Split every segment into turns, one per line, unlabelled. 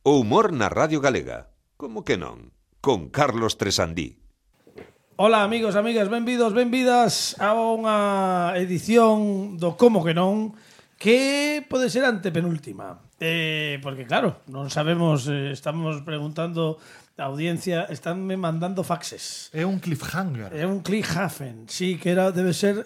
O humor na Radio Galega. Como que non? Con Carlos Tresandí.
Ola, amigos, amigas, benvidas a unha edición do Como que non, que pode ser antepenúltima. Porque claro, non sabemos, estamos preguntando a audiencia, estánme mandando faxes.
É un cliffhanger.
É un cliffhanger, sí, que debe ser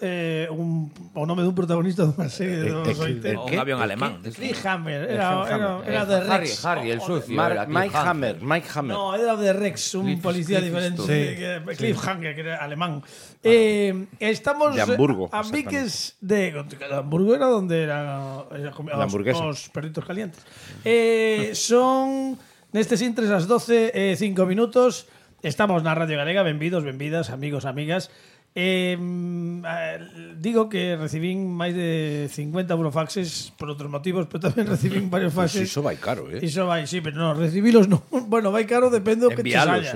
o nome dun protagonista dunha serie dos 80.
Un avión alemán.
Cliffhanger, era de Rex.
Harry, el sucio.
Mike Hammer.
No, era de Rex, un policía diferente. Cliffhanger, que era alemán. Estamos
de Hamburgo,
a piques de Hamburgo, era donde eran os perritos calientes. Son nestes intres as 12:05 minutos. Estamos na Radio Galega. Benvidas, amigos, amigas. Digo que recibín máis de 50 burofaxes por outros motivos, pero tamén recibín varios faxes.
Iso vai caro,
Iso vai, sí, pero non, recibilos non. Bueno, vai caro, depende do que che saia.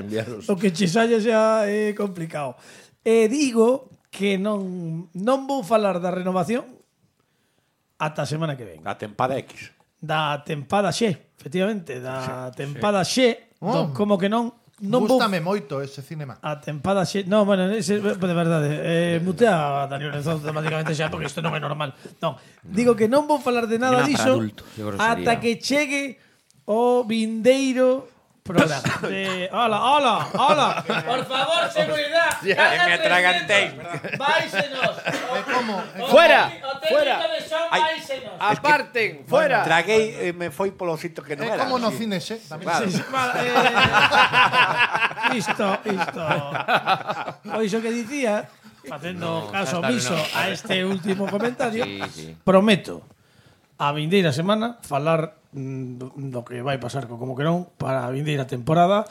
O que che saia xa é complicado. Digo que non vou falar da renovación ata a semana que ven.
A tempada X.
Da tempada Xe, efectivamente, da tempada Xe, como que non
Gústame moito ese cinema.
A tempada Xe, no, bueno, ese, de verdade, mutea a Daniel Lorenzo automáticamente xa, porque isto non é normal. Non, digo que non vou falar de nada diso ata que chegue o vindeiro programa. Hola. Por favor, seguridad.
Me atragantei.
Váisenos.
Fuera.
Aparten,
fuera. Traguei me foi polo sitio que non era.
É como no cine, xe.
Isto. Pois o que dicía, facendo caso omiso a este último comentario, prometo a vindeira semana falar do que vai pasar co Como que non para a vindeira temporada,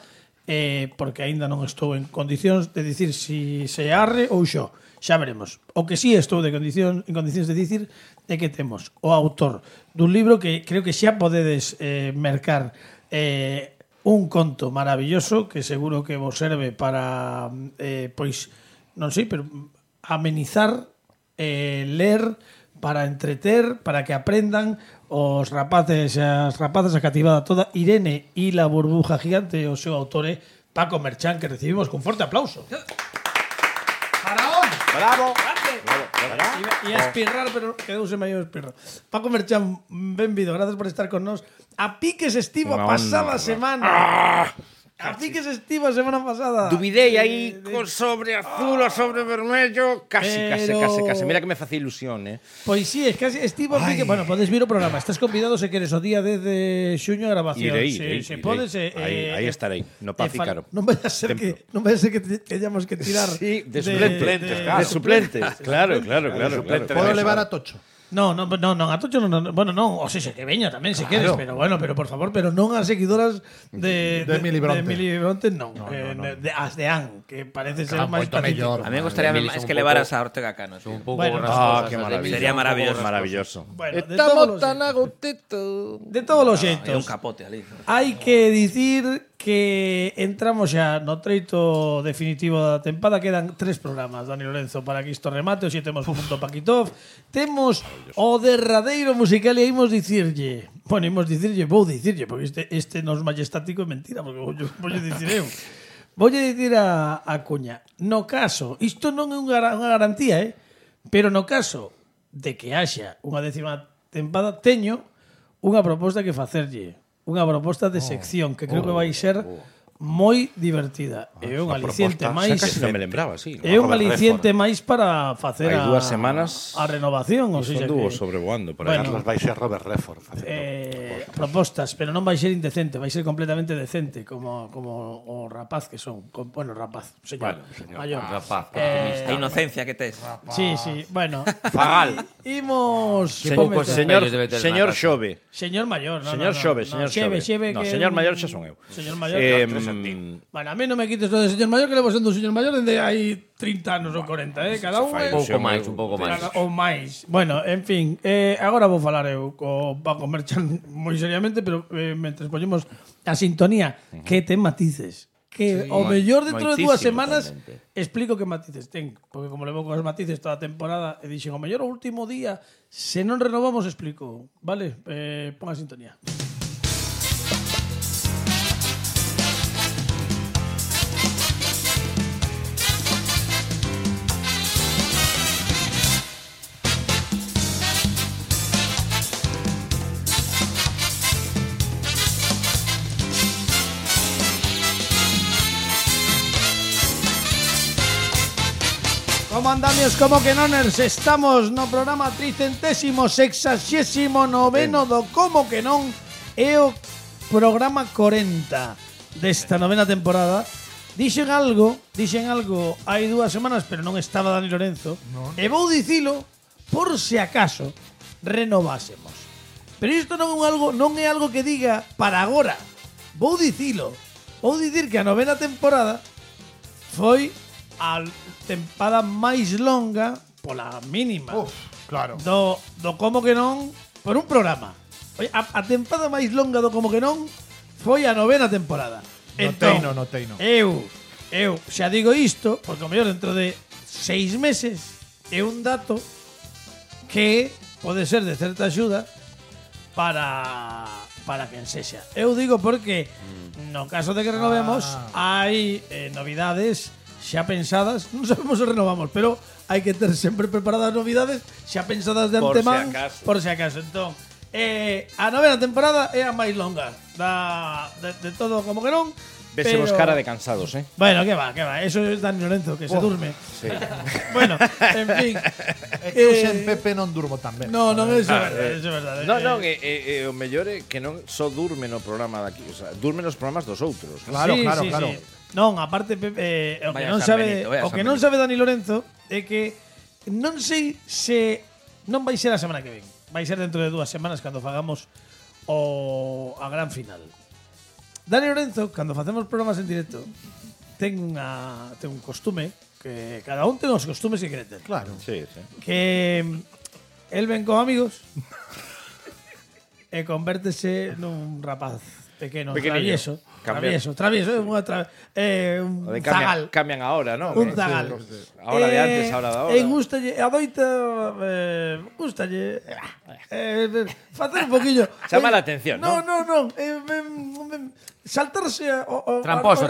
porque aínda non estou en condicións de dicir si se arre ou xo. Xa veremos. O que sí estou en condicións de dicir é que temos o autor dun libro que creo que xa podedes mercar, un conto maravilloso que seguro que vos serve para pois, non sei, pero amenizar, ler, para entreter, para que aprendan os rapaces e as rapazas, a cativada toda. Irene e la burbuja gigante, o seu autor é Paco Merchán, que recibimos con forte aplauso.
¡Faraón!
Bravo.
E a espirrar, pero quedouse maior espirrar. Paco Merchán, benvido, gracias por estar con nós. A piques estivo a pasada semana. A piques estivo a semana pasada.
Dubidei aí sobre azul ou sobre vermello. Casi. Mira que me facía ilusión,
Pois sí, es casi estivo a pique. Bueno, podes vir o programa. Estás convidado se queres o día 10 de xuño a grabación.
Irei.
Se podes,
aí estarei, no Paz Ícaro.
Non vai a ser que teñamos que tirar
de suplentes, de suplentes. Claro.
Podo levar a Tocho.
Non, a Tocho non, bueno, non, o sea, que veña tamén se queres, pero bueno, pero por favor, pero non as seguidoras de Mili Bronte, non. As de An, que parece ser máis
mellor.
A mí me gustaría máis que levaras a Ortega Cano, un pouco
que maravilloso.
Sería maravilloso.
Bueno,
estamos tan agotetos.
De todos os xeitos.
É un capote ali.
Hai que dicir que entramos xa no treito definitivo da tempada. Quedan 3 programas, Dani Lorenzo, para que isto remate. Hoxe temos punto Paquitov. Temos o derradeiro musical e vou dicirlle, porque este nos majestático é mentira, porque voulle dicir eu. Voulle dicir a Cuña, no caso, isto non é unha garantía, pero no caso de que haxa unha 10ª tempada, teño unha proposta que facerlle. Unha proposta de sección que creo que vai ser moi divertida. É un aliciente máis.
Casi non me lembraba, sí.
É un aliciente máis para facer
hai 2 semanas
a renovación, ou seja,
que sobrevoando por
aí.
Carlos vai ser Robert Redford
propostas, pero non vai ser indecente, vai ser completamente decente, como o rapaz que son, señor maior.
Rapaz, a inocencia que tes.
Sí, bueno.
Fagal.
Imos
señor Xove.
Señor maior,
Señor Xove. No, señor maior xa son eu.
Señor maior. Bueno, a mí non me quites lo de señor maior, que levo sendo un señor maior dende hai 30 anos ou 40, cada un
un pouco máis.
Ou máis. Bueno, en fin, agora vou falar eu co Paco Merchan moi seriamente, pero mentre poñemos a sintonía, que ten matices. Que o mellor dentro de 2 semanas explico que matices ten, porque como levo cos matices toda a temporada e dixen o mellor o último día, se non renovamos explico, vale? Pon a sintonía. Como andamios, como que noners, estamos no programa 369º do Como que non, é o programa 40 desta novena temporada. Dixen algo hai 2 semanas, pero non estaba Dani Lorenzo, e vou dicilo por se acaso renovásemos. Pero isto non é algo que diga para agora. Vou dicilo. Vou dicir que a novena temporada foi a tempada máis longa, pola mínima,
Claro.
do Como que non, por un programa. Oye, a tempada máis longa do Como que non foi a novena temporada.
No teino.
Eu xa digo isto, porque o mellor dentro de 6 meses é un dato que pode ser de certa axuda para quen sexa. Eu digo porque no caso de que renovemos hai novidades xa pensadas, non sabemos se renovamos, pero hai que ter sempre preparadas novidades xa pensadas de antemán por se acaso. Entón, a novena temporada é a máis longa de todo Como que non.
Vésemos
pero...
cara de cansados,
Bueno, que va. Eso es Dani Lorenzo, que se durme.
Sí.
Bueno, en fin.
É que eu sen Pepe non durmo tan ben.
No, eso é verdade.
Non, o mellor é que non só durme no programa daqui, o sea, durme nos programas dos outros.
Claro.
Sí. Non, aparte o que non sabe Dani Lorenzo é que non sei se non vai ser a semana que ven. Vai ser dentro de 2 semanas cando fagamos a gran final. Dani Lorenzo, cando facemos programas en directo, ten un costume que cada un ten os costumes que quere ter.
Claro.
Sí.
Que el ven con amigos e convértese nun rapaz pequeno, travieso. Un zagal.
Cambian ahora, ¿no?
Un zagal.
Ahora de antes, ahora de ahora.
E gustalle, facer un poquillo.
Chama la atención,
non? Non. Saltarse o
Tramposo.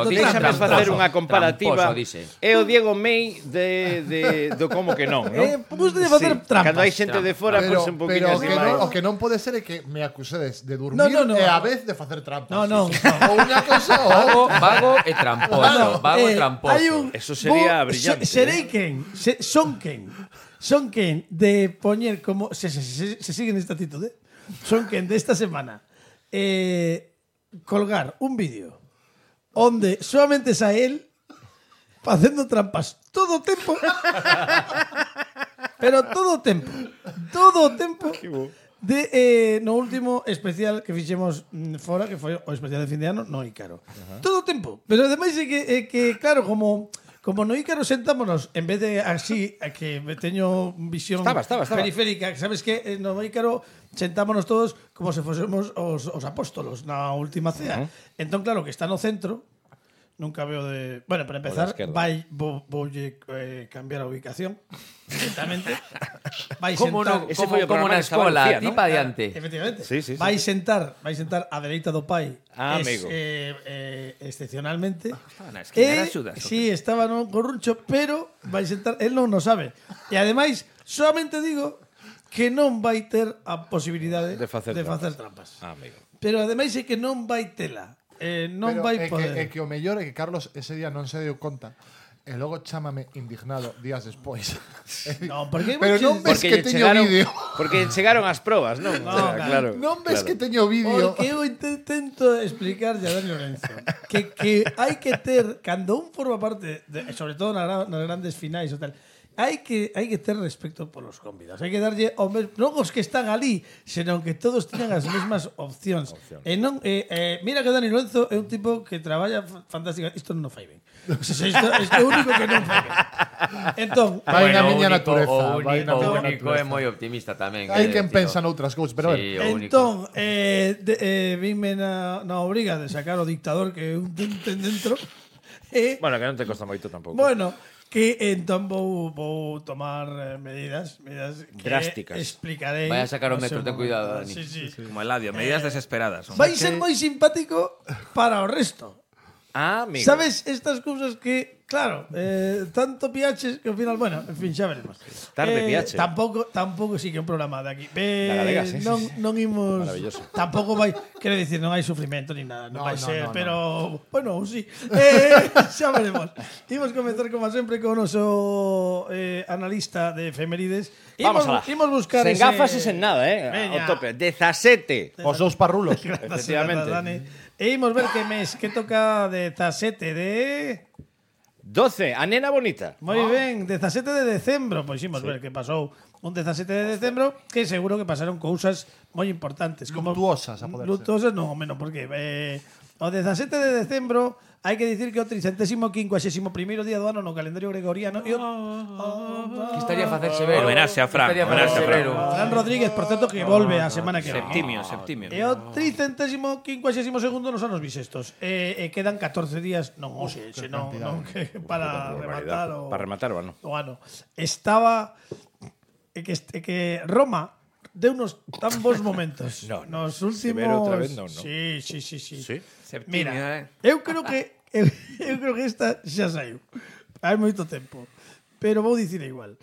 Déxame facer unha comparativa.
Tramposo,
É o Diego May do Como que non, non?
Gustalle facer trampas.
Cando hai xente de fora,
Pero,
pois un poquinho así máis.
o que non pode ser é que me acusedes de dormir
No.
e a vez de facer trampas.
No.
Ou unha cosa ou
Vago e tramposo. Vago e tramposo.
Eso sería brillante.
Son quen de poñer como se siguen esta actitud, son quen de esta semana colgar un vídeo onde solamente sae él facendo trampas todo o tempo. Pero todo o tempo de no último especial que fixemos fora, que foi o especial de fin de ano no Ícaro. Todo o tempo. Pero ademais é que claro, como no Ícaro sentámonos, en vez de así, que teño visión
Estaba.
periférica, que sabes que no Ícaro sentámonos todos como se fosemos os apóstolos na última cea. Entón, claro, que está no centro, nunca veo de... Bueno, para empezar, voulle cambiar a ubicación directamente. Vai sentar...
Ese foi o
Como
programa
na
que estaba
escola,
Lucía,
ti
¿no?
pa diante.
Efectivamente.
Sí.
Vai sentar a dereita do pai.
Amigo.
Excepcionalmente.
Estaba na esquina, era Xudas.
Sí, estaba no corruncho, pero vai sentar, él non o sabe. E ademais, solamente digo que non vai ter a posibilidade
De facer
trampas.
Amigo.
Pero ademais é que non vai tela. Non
Pero
vai
é
poder.
que o mellor é que Carlos ese día non se deu conta e logo chámame indignado días despois.
No, porque
Pero non ves que teño vídeo.
Porque chegaron as probas, non?
No,
O sea, claro.
Non ves
claro.
que teño vídeo.
Porque eu intento explicarlle a Dani Lorenzo que hai que ter, cando un forma parte, sobre todo nas grandes finais ou tal, hai que ter respeto polos convidados. Hai que darlle non os que están ali, senón que todos teñan as mesmas opcións. E non mira que Dani Lorenzo é un tipo que traballa fantástica. Isto non o fai ben. O sea, isto é o único que non fai ben. Entón,
Vai na
Bueno,
miña
o
natureza. Vai na
único
miña
é
natureza.
moi optimista tamén.
Hai quen pensa noutras cousas, pero
Sí,
bueno.
o único.
entón vime na obriga de sacar o dictador que un ten dentro.
Bueno, que non te costa moito tampouco.
Bueno, que entón vou tomar medidas que
Drásticas.
explicarei.
Vai a sacar o
no
metro,
seu
ten cuidado,
momento.
Dani.
Sí.
Como Eladio, medidas desesperadas. Son.
Vai ser moi simpático para o resto.
Amigo.
Sabes estas cousas que, Claro, tanto piaches que ao final, bueno, en fin, xa veremos.
Tarde piache.
Tampouco sí que é un programa de aquí.
Da galega, sí,
non imos
Maravilloso.
Tampouco vai, quero dicir, non hai sufrimento ni nada, non vai ser, pero bueno, sí. Xa veremos. Imos comezar como sempre con o noso analista de efemérides.
Vamos alá.
Imos buscar
sen gafas e sen nada,
Veña.
ao tope. 17.
Os dous parrulos.
Efectivamente.
E imos ver que mes que toca 17 de
12. A nena bonita.
Moi ben, 17 de decembro. Pois imos ver que pasou un 17 de decembro, que seguro que pasaron cousas moi importantes.
Luctuosas, a poder ser.
Luctuosas non, menos, porque o 17 de decembro hai que dicir que o 351º día do ano no calendario gregoriano.
Que estaría a facer severo.
Homenaxe a Fran,
Que estaría a facer
homenaxe a Fran.
severo.
Fran Rodríguez, por certo, que volve a semana que ven.
Septimio.
E o 352º nos anos bisestos. E quedan 14 días, non, hoxe, senón que para rematar o
Para rematar o ano.
o ano. Estaba que Roma deu unos tan bons momentos. Nos últimos
Severo outra vez, non?
Sí.
Sí?
Septimio,
Mira, eu creo que esta xa saiu. Hai moito tempo. Pero vou dicir igual.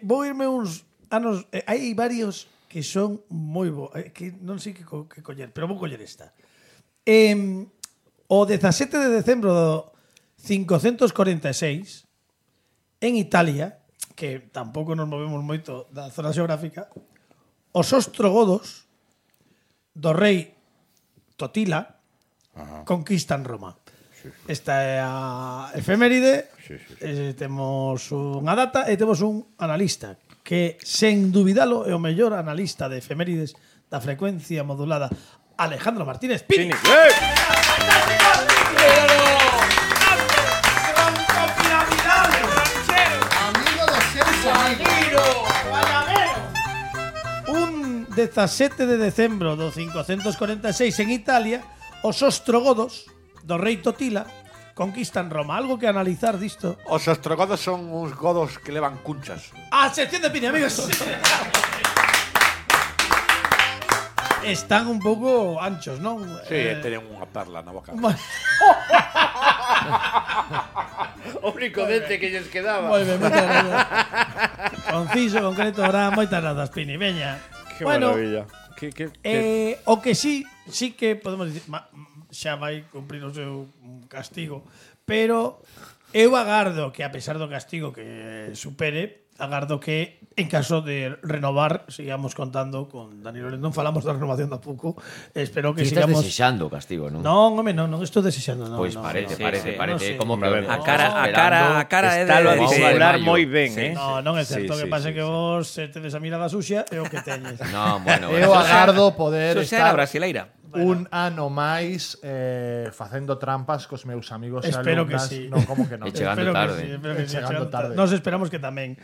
Vou irme uns anos, hai varios que son moi bo, que non sei que coller, pero vou coller esta. O 17 de decembro do 546 en Italia, que tampouco nos movemos moito da zona xeográfica, os ostrogodos do rei Totila conquistan Roma. Esta é a efeméride. Temos unha data e temos un analista que, sen dubidalo, é o mellor analista de efemérides da frecuencia modulada, Alejandro Martínez Pini.
Amigo de seres amigos.
Un 17 de decembro do 546 en Italia, os ostrogodos do rei Totila conquistan Roma. Algo que analizar disto.
Os ostrogodos son uns godos que levan cunchas.
A sección de Pini, amigos. Están un pouco anchos, non?
Sí, teñen unha perla na boca.
O único dente que lles quedaba.
Moi ben, moitas gracias. Conciso, concreto, ahora moitas grazas, Pini. Veña.
Qué maravilla.
O que sí que podemos dicir, xa vai cumprir o seu castigo, pero eu agardo que, a pesar do castigo que supere, agardo que, en caso de renovar, sigamos contando con Dani Lorenzo. Non falamos da renovación tampouco. Espero que
Ti estás
sigamos...
desexando o castigo, non?
Non, home, non estou desexando.
Pois parece. Como
que
que
A cara é
Está a
de
disimular
mayo.
moi ben,
Non é certo.
Sí,
que pase
sí,
que vos tedes a mirada sucia é o que teñes.
Non, bueno.
Eu agardo poder
Eso xa era
estar
brasileira.
un ano máis facendo trampas cos meus amigos e
Espero que
alumnas.
sí.
Non, como que non.
E chegando
Espero
tarde.
que sí,
Chegando tarde.
Nos esperamos que tamén.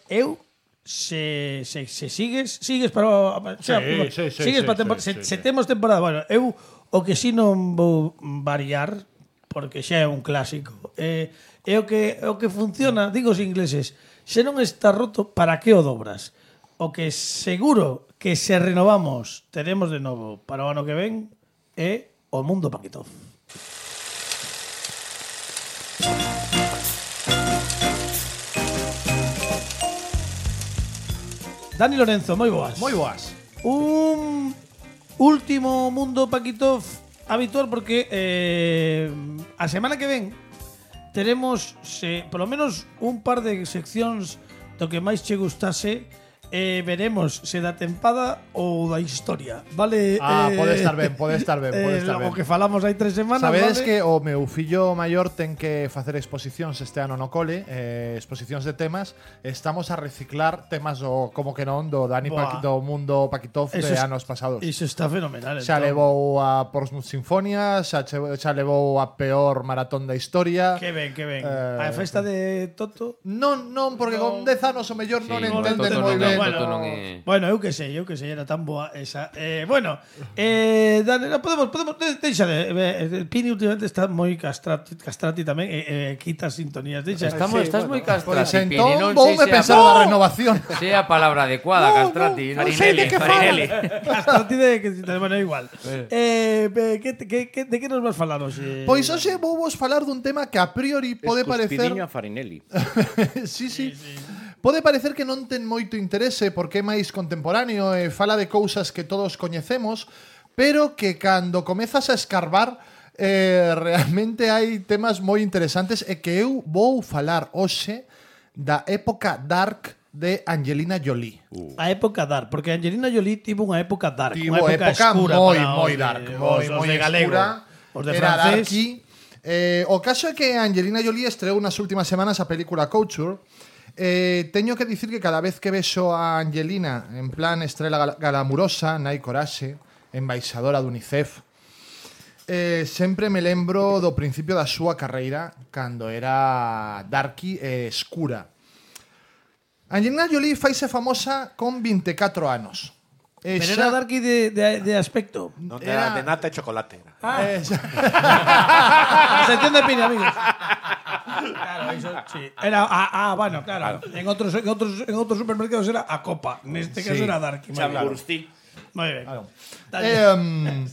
Eu se sigues para sigues para temporada. Se temos temporada, bueno, eu o que si non vou variar porque xa é un clásico. É o que funciona, digo os ingleses, se non está roto, para que o dobras? O que seguro que se renovamos teremos de novo para o ano que ven é o Mundo Paquitov. Dani Lorenzo, moi boas.
Moi boas.
Un último Mundo Paquitov habitual porque a semana que ven teremos polo menos un par de seccións do que máis che gustase. Veremos se da tempada ou da historia, vale?
Pode estar ben.
O que falamos hai 3 semanas,
Sabedes
vale?
que o meu fillo maior ten que facer exposicións este ano no cole, exposicións de temas. Estamos a reciclar temas como que non do Dani
Buah.
do Mundo Paquitov de anos pasados.
Iso está fenomenal.
Xa levou a Portsmouth Sinfonia, xa levou a peor maratón da historia.
Que ben. A festa de Toto.
Non, porque con 10 anos o mellor non
no,
entenden
Toto
moi
non,
ben
Toto non é...
Bueno, eu que sei, era tan boa esa. Bueno, Dani, podemos deixa el Pini últimamente está moi castrati tamén, quita sintonías, deixa.
Estás moi castrati,
Pois
Pini,
entón
non
voume
sei se
pensar na renovación.
Se é a palabra adecuada, castrati.
Non sei de que
Farinelli.
Castrati bueno, igual. De que nos vas falar hoxe?
Pois hoxe vou vos falar dun tema que a priori pode parecer...
Escuspidiño a Farinelli.
sí. Pode parecer que non ten moito interese porque é máis contemporáneo e fala de cousas que todos coñecemos, pero que cando comezas a escarbar realmente hai temas moi interesantes e que eu vou falar hoxe da época dark de Angelina Jolie.
A época dark, porque Angelina Jolie tivo unha época dark,
Tivo
unha época escura
moi dark, moi
escura. Os de
era
francés.
darky. O caso é que Angelina Jolie estreou nas últimas semanas a película Couture. Teño que dicir que cada vez que vexo a Angelina en plan estrela galamurosa, nai coraxe, embaixadora do UNICEF, sempre me lembro do principio da súa carreira cando era darky e escura. Angelina Jolie faise famosa con 24 anos.
Pero era darky de aspecto.
Non era de nata e chocolate.
A sección de Pini, amigos. Claro, eso sí. Era bueno, claro. En otros supermercados era a copa. Neste caso era darky.
Chamburstí.
Moi ben.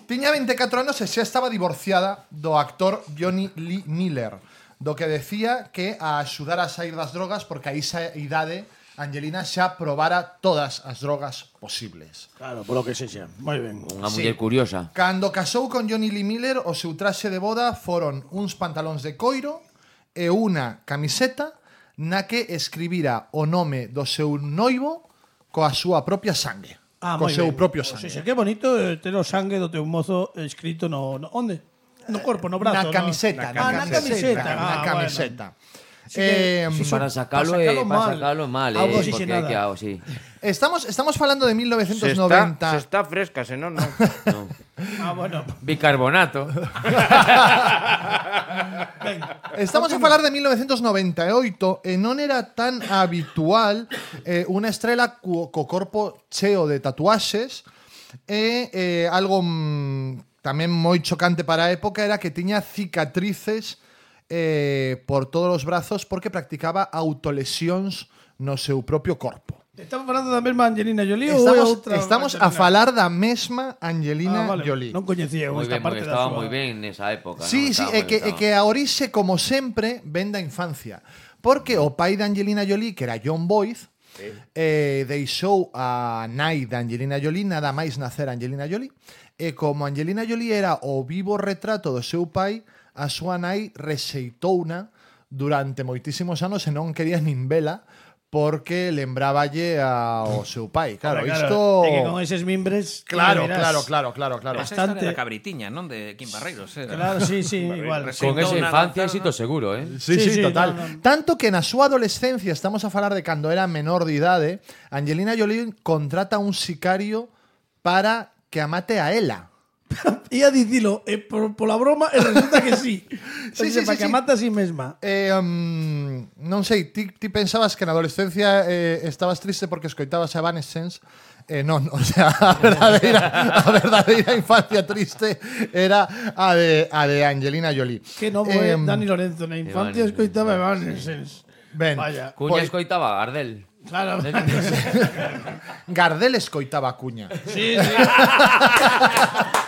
Tiña 24 anos e xa estaba divorciada do actor Johnny Lee Miller, do que decía que a axudar a sair das drogas porque a esa idade Angelina xa probara todas as drogas posibles.
Claro, polo que sexa. Moi ben.
Unha muller curiosa.
Cando casou con Johnny Lee Miller, o seu traxe de boda foron uns pantalóns de coiro e unha camiseta na que escribira o nome do seu noivo coa súa propia sangue. Co seu propio sangue.
Que bonito ter o sangue do teu mozo escrito no onde? No corpo, no brazo.
Na camiseta.
Na camiseta.
Para sacalo é mal,
Algo
porque hai que sí.
Estamos falando de 1990.
Se está fresca, senón non.
Bueno.
Bicarbonato.
Estamos a falar de 1998 e non era tan habitual unha estrela co corpo cheo de tatuaxes e algo tamén moi chocante para a época era que tiña cicatrices por todos os brazos porque practicaba autolesións no seu propio corpo.
Estamos falando da mesma Angelina Jolie ou outra?
Estamos a falar da mesma Angelina Jolie.
Non coñecía esta parte da súa.
Estaba moi ben nesa época.
Sí, é que a orixe, como sempre, ven da infancia. Porque o pai de Angelina Jolie, que era John Boyd, deixou a nai de Angelina Jolie, nada máis nacer Angelina Jolie, e como Angelina Jolie era o vivo retrato do seu pai, a súa nai rexeitouna durante moitísimos anos e non quería nin vela porque lembraballe ao seu pai. Claro, isto...
É que con eses mimbres...
Claro.
Bastante.
Da cabritiña, non? De Kim Barreiros.
Claro, sí, igual.
Con esa infancia éxito seguro,
Sí, total. No. Tanto que na súa adolescencia, estamos a falar de cando era menor de idade, Angelina Jolie contrata un sicario para que a mate a ela.
Ia dicilo pola broma e resulta que sí. Para que mata a sí mesma.
Non sei, ti pensabas que na adolescencia estabas triste porque escoitabas a Evanescence. Non, o sea, a verdadeira infancia triste era a de Angelina Jolie.
Que novo é Dani Lorenzo, na infancia escoitaba Evanescence.
Ben,
Cuña escoitaba Gardel.
Claro.
Gardel escoitaba a Cuña.
Sí.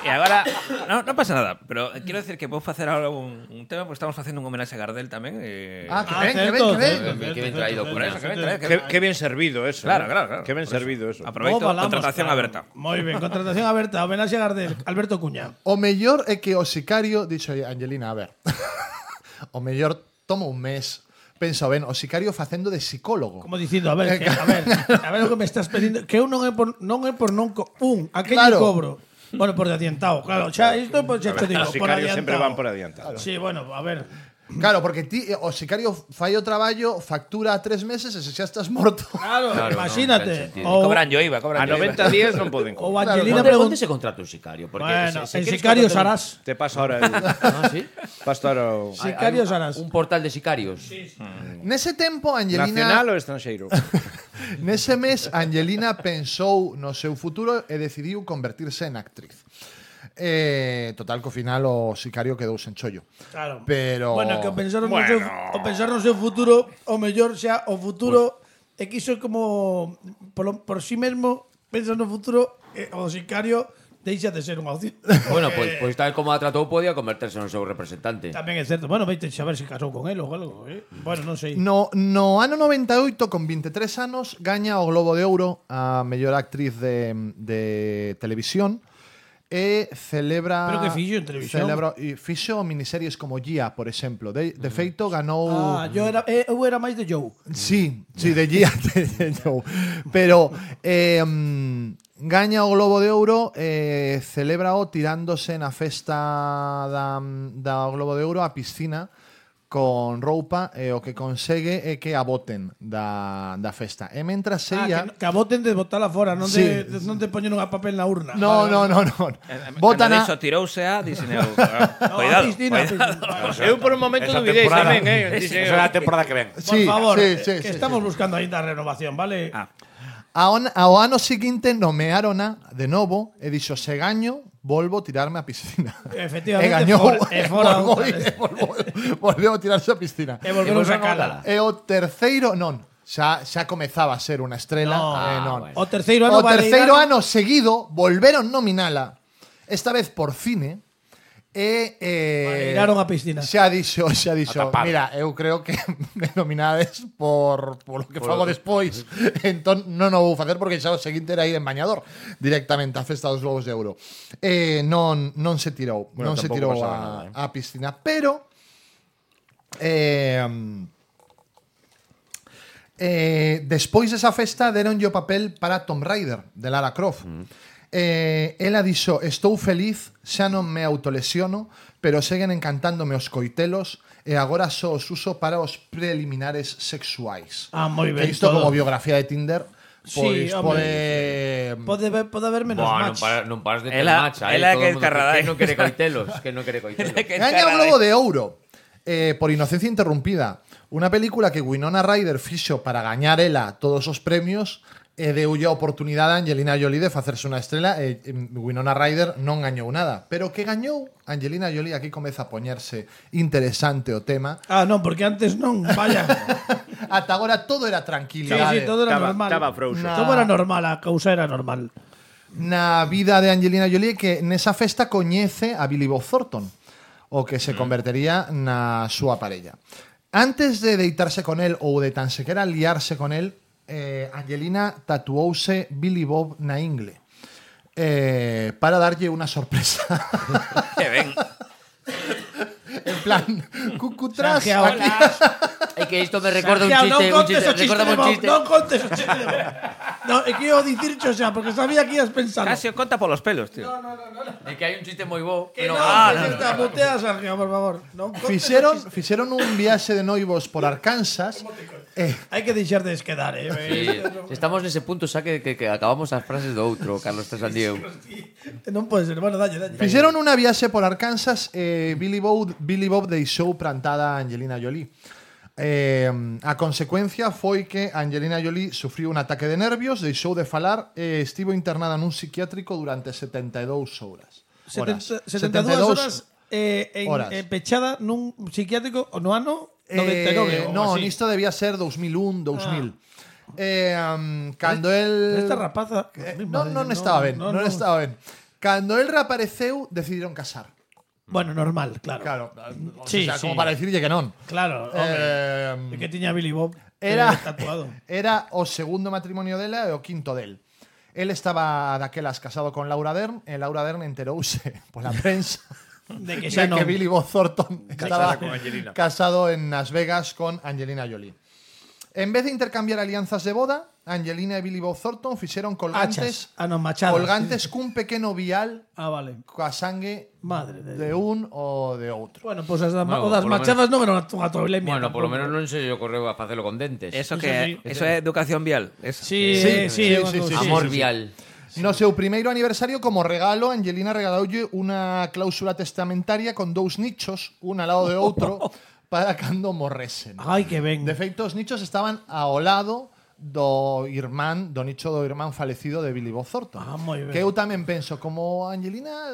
E agora, non pasa nada, pero quero decir que vou facer ahora un tema, porque estamos facendo un homenaxe a Gardel tamén.
Que ben.
Que ben traído por eso.
Que ben servido eso.
Claro.
Que ben servido eso.
Aproveito, contratación aberta.
Moi ben, contratación aberta, homenaxe a Gardel, Alberto Cuña.
O mellor é que o sicario, dixo Angelina, a ver. O mellor toma un mes. Pensa ben, o sicario facendo de psicólogo.
Como dicindo, a ver o que me estás pedindo, que eu non é por aquel
claro.
Cobro. Bueno, por de adiantado, claro. Xa isto pues xa te digo,
Os
por
sicarios
adiantado.
sempre van por adiantado.
Sí, bueno, a ver.
Claro, porque ti, o sicario fai o traballo, factura a 3 meses e se xa estás morto.
Claro, imagínate.
Cobran yo IVA,
A 90 días non poden
O
cobrar.
Angelina
Onde se contrata un sicario? Porque
bueno,
se
en
queres
Sicario
contratar
Sarás.
Te paso ahora
¿Sí?
Paso ahora o...
Sicario Sarás.
un portal de sicarios.
Nese tempo, Angelina...
Nacional ou estranxeiro?
Nese mes, Angelina pensou no seu futuro e decidiu convertirse en actriz. Total, que ao final o sicario quedou sen chollo.
Claro.
Pero...
Bueno, que o pensar no seu futuro, o mellor xa o futuro é que iso é como por sí mesmo pensa no futuro o sicario deixa de ser unha opción.
Bueno, pois tal como a tratou podía converterse no seu representante.
Tamén é certo. Bueno, veite saber se casou con él ou algo, Bueno, non sei.
No ano 98, con 23 anos, gaña o Globo de Ouro a mellor actriz de televisión e celebra...
Pero que fixo en televisión?
Fixo miniseries como Gia, por exemplo. De feito, ganou...
Eu era máis de Joe.
Sí, de Gia de Joe. Pero gaña o Globo de Ouro, celébrao tirándose na festa da Globo de Ouro á piscina con roupa e o que consegue é que a boten da festa. E mentras ella...
Que a boten de botala fora, non
Sí.
te poñen unha papel na urna.
No. Botan a...
Cando dixo tirouse a, dixen eu, cuidado, cuidado.
Eu por un momento
Esa
dubidei
temporada-
tamén,
Esa é a temporada que ven.
Por favor,
sí.
estamos buscando ainda a renovación, vale?
Ao ano seguinte nomeárona de novo e dixo, se gaño, volvo a tirarme á piscina.
Efectivamente,
E gañou,
fora
volveu a tirarse á piscina.
E volveron sacala.
E o terceiro, non, xa comezaba a ser unha estrela. Non.
O terceiro ano
O terceiro
valeiraron-
ano seguido volveron nominala, esta vez por cine, e
Valeiraron a piscina.
xa dixo,
tapar.
mira, eu creo que me nominades por lo que fago despois. Entón non o vou facer porque xa o seguinte era ir en bañador directamente á festa dos Globos de Ouro. Non se tirou,
Bueno,
non se
tampouco
tirou
pasaba nada,
á piscina, pero despois desa festa deronlle o papel para Tomb Raider de Lara Croft. Ela dixo, estou feliz, xa non me autolesiono, pero seguen encantándome os coitelos e agora só os uso para os preliminares sexuais.
Moi ben.
Que isto como biografía de Tinder, pois
Sí, home. Pode haber menos
Bueno,
match.
non paras de ter
Ela-
match. aí
ela
todo
que
o mundo
escarradai.
que non quere coitelos, que non quere coitelos.
Gaña o Globo de Ouro por Inocencia Interrumpida, unha película que Winona Ryder fixo para gañar ela todos os premios e deulle a oportunidade a Angelina Jolie de facerse unha estrela e Winona Ryder non gañou nada, pero que gañou Angelina Jolie, aquí comeza a poñerse interesante o tema.
Non, porque antes non, vaya.
Ata agora todo era
Sí,
tranquilidade.
todo era
Estaba-
normal.
estaba frouxo.
Todo era normal, a cousa era normal.
Na vida de Angelina Jolie que nesa festa coñece a Billy Bob Thornton, o que se convertería na súa parella. Antes de deitarse con él ou de tan sequera liarse con él, Angelina tatuouse Billy Bob na ingle para darlle unha sorpresa.
Que ben.
En plan, cucutras
Santiago,
aquí.
É que isto me recorda un
Santiago,
chiste,
non contes o chiste
recórdame
de
un
Bob,
chiste.
non contes o chiste de Bob. No, é que eu dicircho xa, porque sabía que ibas pensando.
Casi o conta polos pelos, tío.
É que hai un chiste moi bo.
Que non,
no.
que te mutea, Sergio, por favor. Non contes
Fixeron un viaxe de noivos por Arkansas.
Hai que deixar de esquedar,
Sí, estamos nese punto xa que acabamos as frases do outro, Carlos Tresandieu.
Non pode ser. Bueno, dalle.
Fixeron unha viaxe por Arkansas e Billy Bob deixou plantada a Angelina Jolie. A consecuencia foi que Angelina Jolie sufriu un ataque de nervios, deixou de falar e estivo internada nun psiquiátrico durante 72 horas.
72 horas pechada nun psiquiátrico no ano 99.
No,
así.
nisto debía ser 2001, 2000. Cando el
Esta rapaza...
non estaba ben, non estaba ben. Cando el reapareceu, decidiron casar.
Bueno, normal, claro.
Claro,
Sí,
o sea,
sí.
como para decirlle que non.
Claro, hombre. Que tiña Billy Bob tatuado.
Era o segundo matrimonio dela e o quinto del. El estaba daquelas casado con Laura Dern e Laura Dern enterouse pola prensa
De que
de
xa
que
non.
Billy Bob Thornton estaba
con Angelina.
casado en Las Vegas con Angelina Jolie. En vez de intercambiar alianzas de boda, Angelina e Billy Bob Thornton fixeron colgantes
non, machadas.
colgantes cun pequeno vial
Vale.
coa sangue
Madre de
de un ou de outro.
Bueno, pois as o das
polo
machadas non eran unha tolemia.
Bueno, polo menos non se lle ocorreu a facelo con dentes.
Eso
Eso
que
sí.
eso é educación vial. Eso.
Sí,
Sí,
unha
sí,
cousa.
sí,
Amor vial.
No seu primeiro aniversario, como regalo, Angelina regaloulle unha cláusula testamentaria con dous nichos, un al lado de outro, para cando morresen.
Ai, que ben.
De feito, os nichos estaban ao lado do irmán, do nicho do irmán falecido de Billy Bob Thornton.
Moi ben.
Que eu tamén penso, como Angelina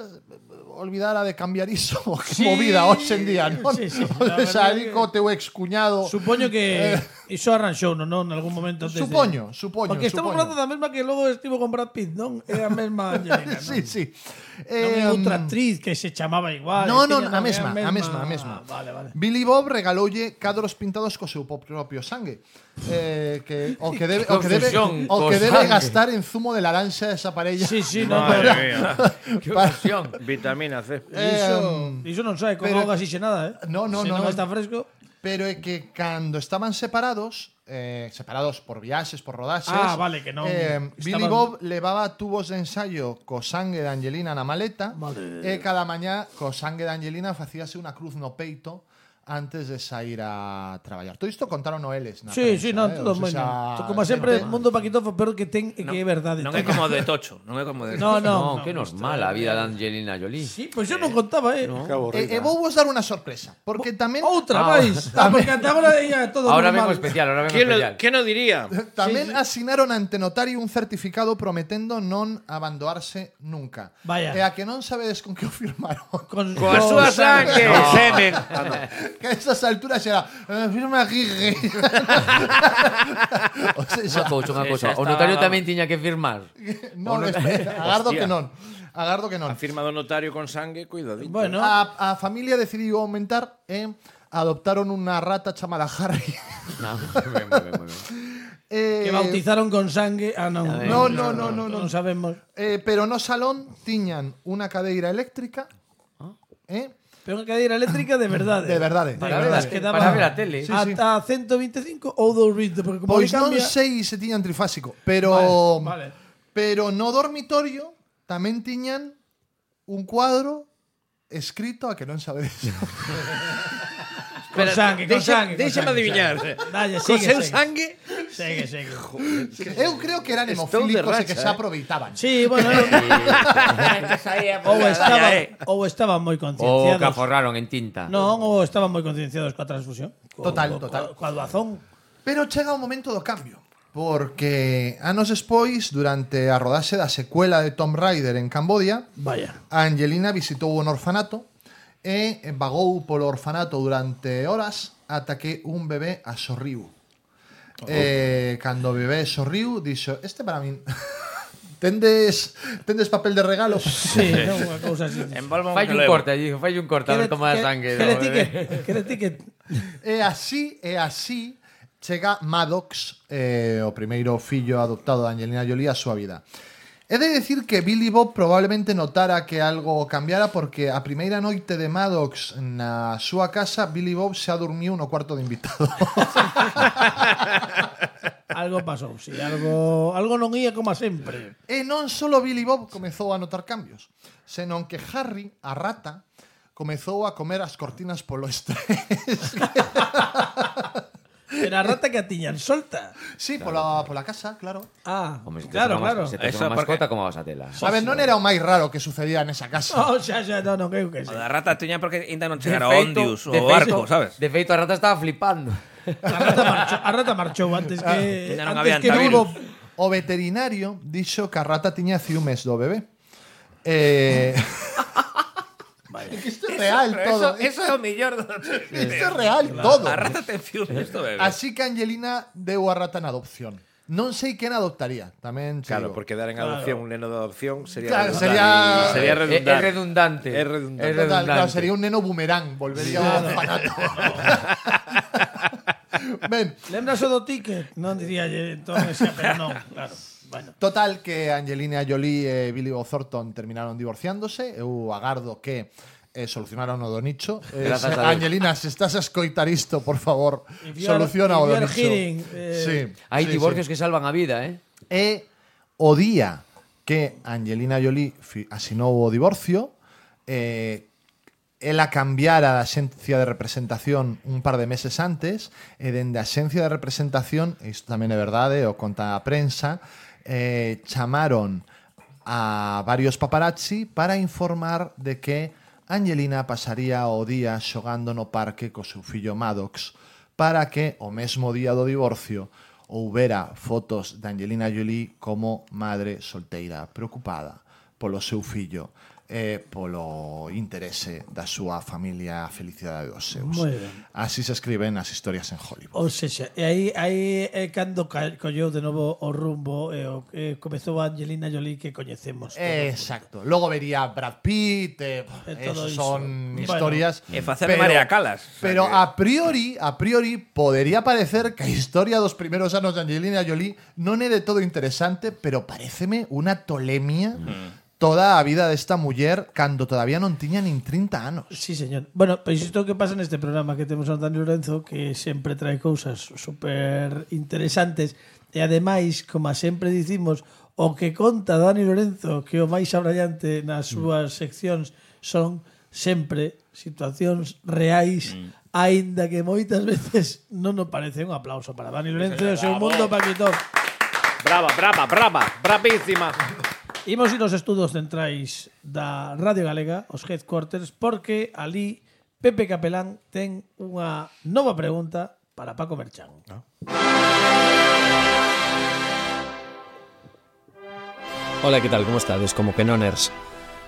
olvidara de cambiar iso, que movida hoxe en día, non?
Sí, sí,
O
la
sea,
verdade
ali co teu excuñado.
Supoño que iso arranxou, non? En algún momento antes
Supoño.
Porque estamos falando da mesma que logo estivo con Brad Pitt, non? É a mesma Angelina, non?
Sí, sí.
Non é outra actriz que se chamaba igual.
No,
tiña,
a mesma,
é
a mesma.
Vale, vale.
Billy Bob regaloulle cadros pintados co seu propio sangue. O que debe
obsesión co sangue.
gastar en zumo de laranxa esa parella.
Sí, sí, no,
Madre mía.
Que obsesión.
Vitamina C.
Iso non sai con
pero-
auga nada,
No,
Se non está fresco.
Pero é que cando estaban separados por viaxes, por rodaxes,
Vale, que non
Billy
estaban-
Bob levaba tubos de ensayo co sangue de Angelina na maleta
Vale.
e cada mañá co sangue de Angelina facíase unha cruz no peito antes de sair a traballar. Todo isto contaron eles na
Sí,
prensa,
sí, non, todo
O
moi
sea,
non. Como sempre,
xente-
mundo paquitofo, pero que ten que é verdade.
Non é como de Tocho. Non é como de
No,
No, que normal a vida de Angelina Jolie.
Sí, pois eu non contaba,
E vou vos dar unha sorpresa, porque tamén
Outra máis. Porque ata agora ia todo
Ahora
normal.
vengo especial, ahora vengo
¿Quién
especial.
¿Qué no diría?
tamén asinaron ante notario un certificado prometendo non abandoarse nunca.
Vaya.
E a que non sabedes con que o firmaron.
Coa súa sangue.
Semen.
Que a esas alturas era firma aquí. O sea,
Unha cousa.
xa
O
está.
notario tamén tiña que firmar.
non, espera, agardo que non. Agardo que non.
A firma do notario con sangue, cuidadito.
Bueno,
A familia decidiu aumentar e adoptaron unha rata chamada Harry.
No, moi ben.
que bautizaron con sangue. Non. Non sabemos.
Pero no salón tiñan unha cadeira eléctrica.
Pero unha cadeira eléctrica de verdade.
De verdade.
Para
verdade,
ver-
que daba
para ver a tele.
Sí, sí.
Ata 125 ou 220, porque como
Pois
ali
non
cambia...
sei se tiñan trifásico, pero
Vale.
pero no dormitorio tamén tiñan un cuadro escrito a que non sabedes.
Con sangue, con sangue.
Déixame adivinar.
Dalle,
Con
sigue,
seu
sigue.
sangue?
Segue.
Eu creo que eran
Estou de
hemofílicos e
racha,
que se aproveitaban.
Sí, bueno, ou estaban moi
O
concienciados.
que aforraron en tinta.
Non, ou estaban moi concienciados coa transfusión.
Total.
Coa doazón.
Pero chega o momento do cambio, porque anos despois, durante a rodaxe da secuela de Tomb Raider en Cambodia,
Vaya.
a Angelina visitou un orfanato e vagou polo orfanato durante horas ata que un bebé a sorriu. Cando o bebé sorriu, dixo: "Este para min." Tendes papel de regalo?
Sí, non, unha cousa así.
Envolva un
Fai un
relevo.
corte allí, fai un corte a ver toma a sangue.
Que
do
le
bebé.
ticket.
E así chega Maddox, o primeiro fillo adoptado de Angelina Jolie, a súa vida. He de decir que Billy Bob probablemente notara que algo cambiara, porque a primeira noite de Maddox na súa casa, Billy Bob xa dormiu no cuarto de invitado.
Algo pasou, sí. Algo non ia como sempre.
E non só Billy Bob comezou a notar cambios, senón que Harry, a rata, comezou a comer as cortinas polo estrés.
Era a rata que a tiñan solta.
Sí, pola casa, claro.
Home, se tes
Claro,
unha
claro.
Se tes
Eso
unha
porque-
mascota, como vas a tela?
A ver, non era o máis raro que sucedía nesa casa.
Oh, xa, non, eu que
O
sei.
da rata tiña porque ainda non chegara
De
o
feito-
Ondius
de
o barco,
feito-
sabes?
De feito, a rata estaba flipando.
A rata marchou antes que
Ya non
antes
había
que
antivirus.
Billy Bob.
O veterinario dixo que a rata tiña ciúmes do bebé. É que isto é real todo.
Eso é o mellor.
Isto é real todo.
A rata ten fius isto, bebé.
Así que Angelina deu a rata na adopción. Non sei quen adoptaría. Tamén che
Claro,
digo.
porque dar en adopción un neno de adopción sería
Claro,
redundante.
sería
É redundante.
É redundante.
É
Total, claro,
redundante.
sería un neno boomerang, volvería ao orfanato. Ben,
Lembras o do ticket? Non diría entón ese, pero non, claro. Bueno.
total que Angelina Jolie e Billy Bob Thornton terminaron divorciándose. Eu agardo que solucionaron o do nicho.
Grazas a Deus.
Angelina, se estás a escoitar isto, por favor,
If you are-
soluciona o
if
do
you are
nicho.
hearing,
Sí,
Hai
sí,
divorcios
sí.
que salvan a vida,
E o día que Angelina Jolie asinou o divorcio, ela cambiara a xencia de representación un par de meses antes, e dende a xencia de representación, e isto tamén é verdade, o conta a prensa, chamaron a varios paparazzi para informar de que Angelina pasaría o día xogando no parque co seu fillo Maddox, para que o mesmo día do divorcio houbera fotos de Angelina Jolie como madre solteira, preocupada polo seu fillo e polo interese da súa familia, a felicidade dos seus.
Moi ben.
Así se escriben as historias en Hollywood.
Ou sexa, e aí é cando colleu de novo o rumbo e comezou a Angelina Jolie que coñecemos todos.
Exacto. Logo vería Brad Pitt,
todo
esos
iso.
son
Bueno,
historias.
E facer de María Calas.
Pero a priori podería parecer que a historia dos primeiros anos de Angelina Jolie non é de todo interesante, pero paréceme unha tolemia toda a vida desta muller cando todavía non tiña nin 30 anos.
Sí, señor. Bueno, pois isto que pasa neste programa que temos a Dani Lorenzo, que sempre trae cousas super interesantes e ademais, como sempre dicimos, o que conta Dani Lorenzo que o máis abrallante nas súas seccións son sempre situacións reais, aínda que moitas veces non nos parece. Un aplauso para Dani Lorenzo e o seu mundo Paquitón.
Brava, bravísima.
Imos ir aos estudos centrais da Radio Galega, os headquarters, porque ali Pepe Capelán ten unha nova pregunta para Paco Merchán.
Hola, que tal? Como estades? Como que noners?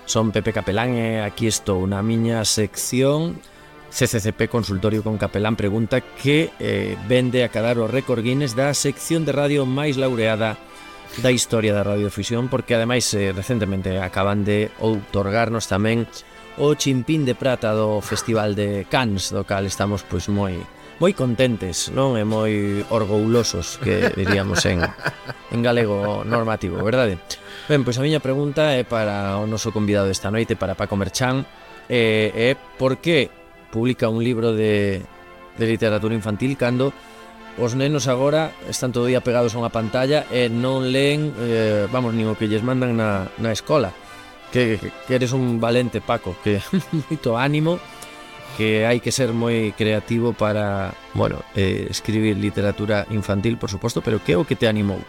Son Pepe Capelán e aquí estou na miña sección CCCP Consultorio con Capelán Pregunta, que vende a cadar o récord Guinness da sección de radio máis laureada da historia da radiodifusión, porque ademais recentemente acaban de outorgarnos tamén o chimpín de prata do Festival de Cannes, do cal estamos pois moi contentes, non? E moi orgullosos, que diríamos en galego normativo, verdade? Ben, pois a miña pregunta é para o noso convidado desta noite, para Paco Merchán, é por que publica un libro de literatura infantil cando os nenos agora están todo día pegados a unha pantalla e non leen, nin o que lles mandan na escola. Que eres un valente, Paco, que moito ánimo, que hai que ser moi creativo para, escribir literatura infantil, por suposto, pero que é o que te animou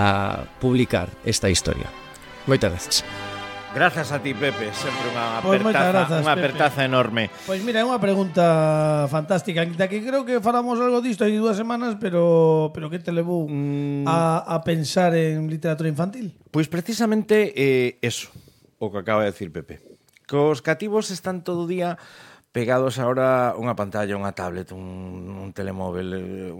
a publicar esta historia? Moitas gracias.
Grazas a ti, Pepe, sempre unha apertaza enorme.
Pois mira, é unha pregunta fantástica, da que creo que falamos algo disto hai 2 semanas, pero que te levou a pensar en literatura infantil?
Pois precisamente eso, o que acaba de decir Pepe. Que os cativos están todo o día pegados ahora unha pantalla, unha tablet, un telemóvel,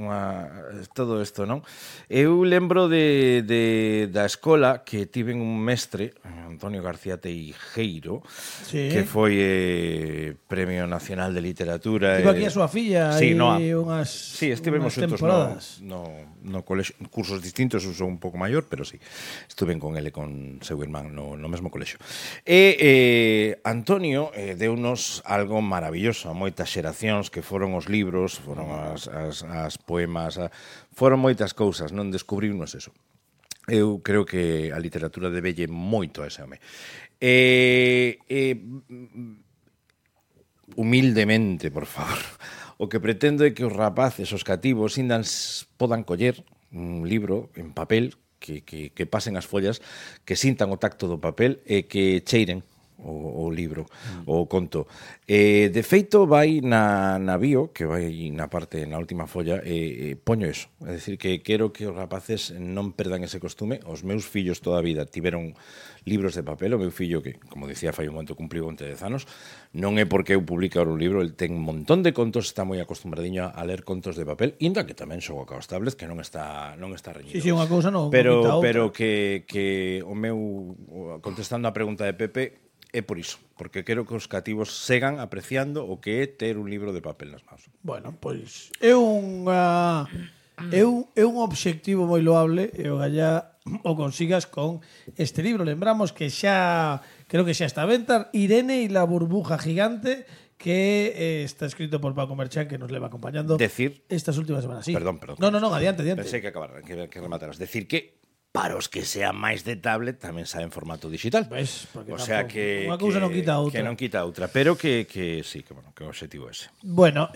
todo isto, non? Eu lembro da escola que tiven un mestre, Antonio García Teijeiro, que foi Premio Nacional de Literatura.
Tivo aquí a súa filla hai unhas
estivemos
temporadas.
No colexo, cursos distintos, eu sou un pouco maior, pero sí, estuve con ele, con seu irmán no mesmo colexo. E Antonio deunos algo maravilloso a moitas xeracións, que foron os libros, foron as poemas, foron moitas cousas, non descubriunos eso. Eu creo que a literatura debelle moito a ese home. Humildemente, por favor, o que pretendo é que os rapaces, os cativos, ainda podan coller un libro en papel, que pasen as follas, que sintan o tacto do papel e que cheiren o libro, o conto. De feito, vai na bio, que vai na última folla, poño eso. É dicir, que quero que os rapaces non perdan ese costume. Os meus fillos toda a vida tiveron libros de papel. O meu fillo, que, como dicía, fai un momento cumpliu 10 anos, non é porque eu publique ahora un libro, el ten un montón de contos, está moi acostumbradiño a ler contos de papel, inda que tamén xogo a tablets, que non está reñido.
Sí, unha cousa non.
Pero que o meu, contestando a pregunta de Pepe, é por iso, porque quero que os cativos segan apreciando o que é ter un libro de papel nas mãos.
Bueno, pois é un obxectivo moi loable e ojalá o consigas con este libro. Lembramos que creo que xa está a venta, Irene e la burbuja gigante, que está escrito por Paco Merchán, que nos leva acompañando estas últimas semanas. Sí.
Perdón.
No, adiante.
Pensei que remataras. Decir que para os que sean máis de tablet tamén sae en formato digital.
Ves, porque
o sea que
unha cousa non quita a outra.
Que non quita a outra, pero que sí, que o objetivo é ese.
Bueno,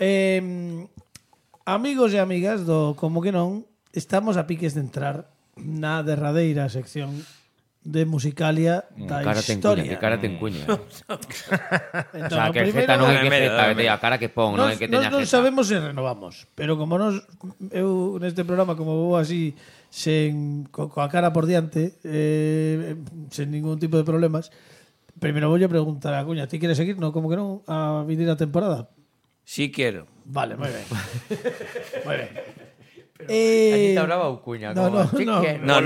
amigos e amigas do Como que non, estamos a piques de entrar na derradeira sección de Musicalia da
Cara ten cuña,
historia.
que cara ten cuña.
Entón,
O sea,
o
que
primeiro-
Z non é que
medio,
Z,
medio.
a cara que pon, non é que teña
non
jeta.
sabemos se renovamos, pero como eu neste programa como vou así coa cara por diante, sen ningún tipo de problemas, primeiro voulle preguntar a Cuña, ti queres seguir? No, como que non, a vindeira temporada?
Sí quiero.
Vale, moi ben. Moi ben.
Aquí te hablaba o cuña.
No,
como,
no,
"Sí
no.
que-".
No,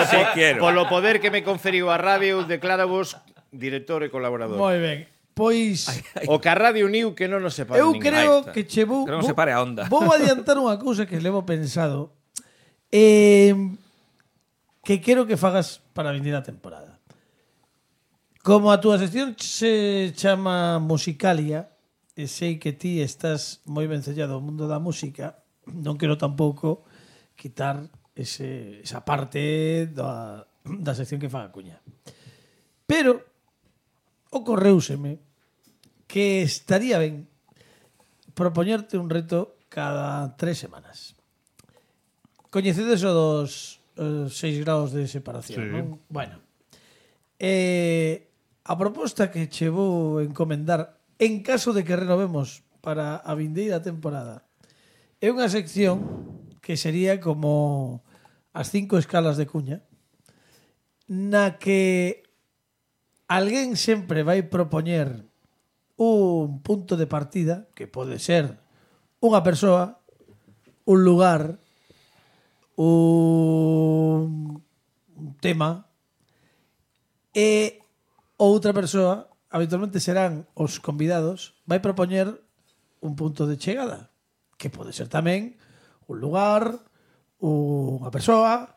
sí quiero.
Polo poder que me conferiu a radio, decláravos director e colaborador.
Moi ben. Pois
O que a radio uniu que non nos separa
eu
ninguén.
creo
Ahí está.
que che vou
Que non se pare a onda.
Vou adiantar unha cousa que levo pensado que quero que fagas para a vindeira temporada. Como a túa sección se chama Musicalia, e sei que ti estás moi vencellado ao mundo da música, non quero tampouco quitar esa parte da sección que faga Cuña. Pero ocorreuseme que estaría ben propoñerte un reto cada 3 semanas. Coñecedes o dos 6 graus de separación, non? Bueno. A proposta que che vou encomendar en caso de que renovemos para a vindeira temporada é unha sección que sería como as 5 escalas de Cuña, na que alguén sempre vai propoñer un punto de partida que pode ser unha persoa, un lugar, un tema, e outra persoa, habitualmente serán os convidados, vai propoñer un punto de chegada, que pode ser tamén un lugar, unha persoa,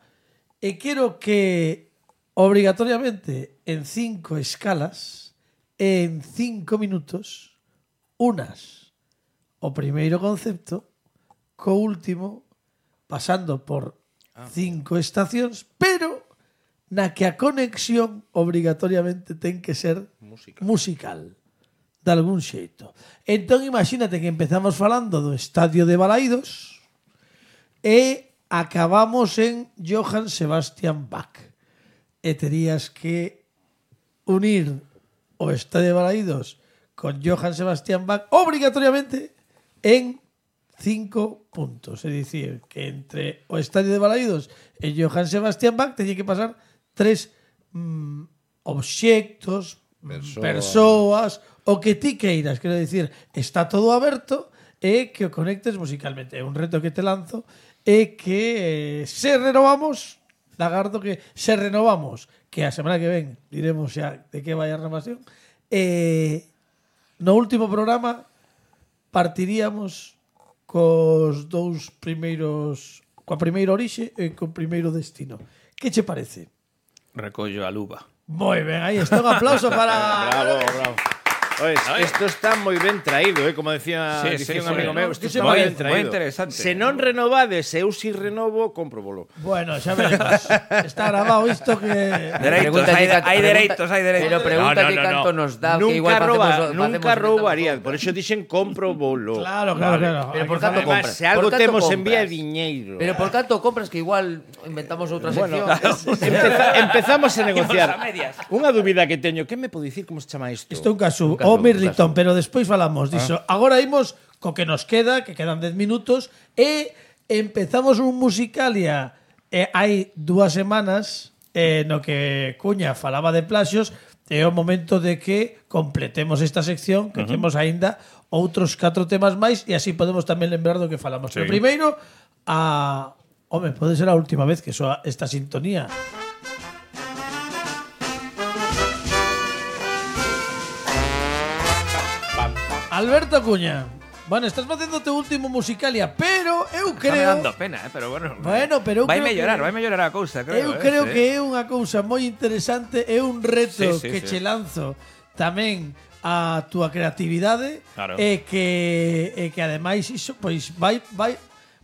e quero que obrigatoriamente en 5 escalas, en 5 minutos, unas o primeiro concepto co último, pasando por 5 estacións, pero na que a conexión obrigatoriamente ten que ser musical de algún xeito. Entón imagínate que empezamos falando do Estadio de Balaídos e acabamos en Johann Sebastian Bach. E terías que unir o Estadio de Balaídos con Johann Sebastian Bach obrigatoriamente en 5 puntos. É dicir, que entre o Estadio de Balaídos e Johann Sebastian Bach teñe que pasar 3 obxectos, persoas, o que ti queiras. Quero dicir, está todo aberto e que o conectes musicalmente. É un reto que te lanzo e que se renovamos, lagardo que se renovamos, que a semana que ven diremos xa de que vai a renovación, no último programa partiríamos cos dous primeiros, coa primeira orixe e co primeiro destino. Que che parece?
Recollo a luva.
Moi ben, aí está un aplauso para...
Bravo, bravo. Oye, esto está moi ben traído, como decía,
Sí,
un amigo meu, isto
¿Qué
está
te
moi
parece?
ben traído.
Moi interesante.
Se non renovades, eu si renovo, compro.
Bueno, xa veremos. Está grabado isto que...
Dereitos, hai dereitos, hai dereitos.
Pero pregunta que canto nos dá, que igual
Nunca roubaría, por eso dixen compro bolo.
Claro.
Pero por canto
Además,
compras.
se algo
Por canto
temos
compras.
en vía diñeiro.
Pero por canto compras que igual inventamos outra sección.
Empezamos a negociar.
a medias.
Unha dúbida que teño, que me pode dicir como se chama isto?
Isto é un caso, o Mirliton, pero despois falamos diso. Agora imos co que nos queda, que quedan 10 minutos, e empezamos un Musicalia hai 2 semanas no que Cuña falaba de plaxios, é o momento de que completemos esta sección, que temos aínda outros 4 temas máis e así podemos tamén lembrar do que falamos. Pero primeiro, pode ser a última vez que soa esta sintonía. Alberto Cuña. Bueno, estás facendo o teu último Musicalia, pero eu
Está me
creo...
dando pena, pero bueno.
Bueno, pero eu
vai
creo
mellorar a cousa, creo.
Eu creo que é unha cousa moi interesante, é un reto
Sí,
que
sí.
che lanzo tamén a túa creatividade
Claro.
e que ademais iso pois vai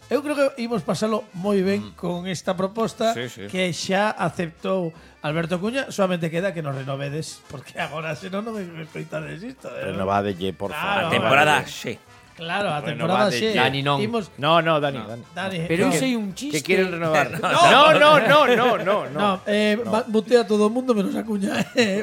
eu creo que imos pasalo moi ben con esta proposta
Sí, sí.
que xa aceptou Alberto Cuña, solamente queda que nos renovedes porque agora senón non me escoitades isto.
Renovadelle, por
Claro,
favor.
A temporada, sí.
Claro, a temporada
Renovade,
xe.
Dani non.
Imos,
No, Dani.
Dani,
Pero
no.
iso é un chiste.
Que quieren renovar. No.
No, mutea a todo o mundo menos a Cuña.